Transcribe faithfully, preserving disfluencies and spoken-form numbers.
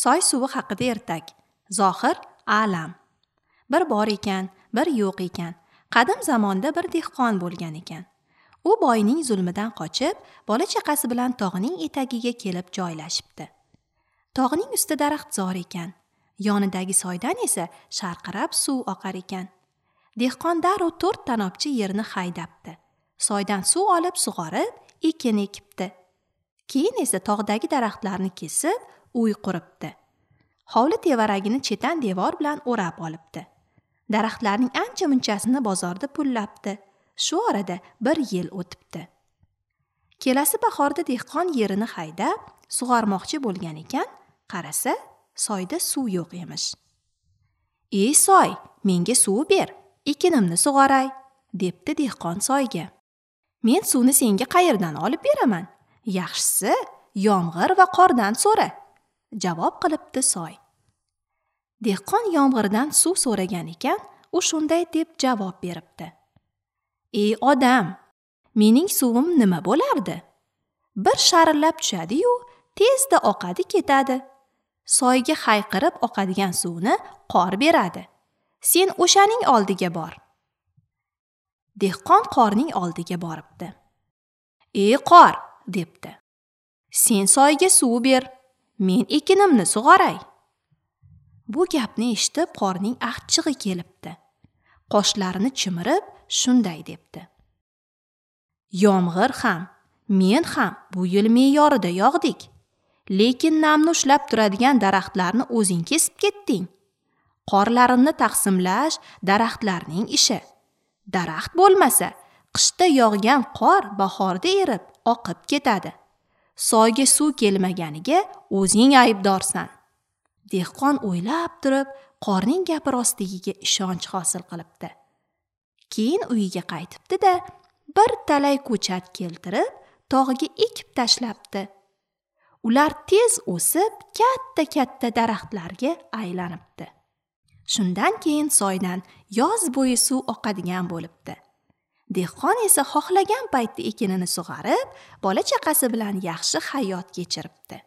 Soy suvi haqida ertak. Zohir A'lam. Bir bor ekan, bir yo'q ekan. Qadim zamonda bir dehqon bo'lgan ekan. U boyning zulmidan qochib, bola chaqasi bilan tog'ning etagiga kelib joylashibdi. Tog'ning usti daraxtzor ekan. Yonidagi soydan esa sharqirab suv oqar ekan. Dehqon darrov to'rt tanobchi yerni haydabdi. Soydan suv olib sug'orib, ekin ekibdi. Keyin esa tog'dagi daraxtlarni kesib, uy quribdi. Hovli tevaragini chetan devor bilan o'rab olibdi. Daraxtlarning ancha-munchasini bozorda pullabdi. Shu orada bir yil o'tibdi. Kelasi bahorda dehqon yerini haydab, sug'ormoqchi bo'lgan ekan, qarasa, soyda suv yo'q emish. "Ey soy, menga suv ber, ekinimni sug'oray", debdi dehqon soyga. "Men suvni senga qayerdan olib beraman? Yaxshisi, yomg'ir va qordan so'ra", javob qilibdi soy. Dehqon yomg'irdan suv so'ragan ekan, u shunday deb javob beribdi. "Ey odam, mening suvim nima bo'lardi? Bir sharillab tushadi-yu, tezda oqadi ketadi. Soyga hayqirib oqadigan suvni qor beradi. Sen o'shaning oldiga bor." Dehqon qorning oldiga boribdi. "Ey qor", debdi. "Sen soyga suv ber, men ekinimni sug'oray." Bu gapni eshitib qorning achchig'i kelibdi. Qoshlarini chimirib shunday debdi. "Yomg'ir ham, men ham bu yil me'yorida yog'dik. Lekin namni ushlab turadigan daraxtlarni o'zing kesib ketding. Qorlarimni taqsimlash daraxtlarning ishi. Daraxt bo'lmasa, qishda yog'gan qor bahorda erib, oqib ketadi. Soyga suv kelmaganiga o'zing aybdorsan." Dehqon o'ylab turib, qorning gapi rostligiga ishonch hosil qilibdi. Keyin uyiga qaytibdi-da, bir talay ko'chat keltirib, tog'ga ekib tashlabdi. Ular tez o'sib, katta-katta daraxtlarga aylanibdi. Shundan keyin soydan yoz bo'yi suv oqadigan bo'libdi. Dehqon esa xohlagan paytda ekinini sug'arib, bola chaqasi bilan yaxshi hayot kechiribdi.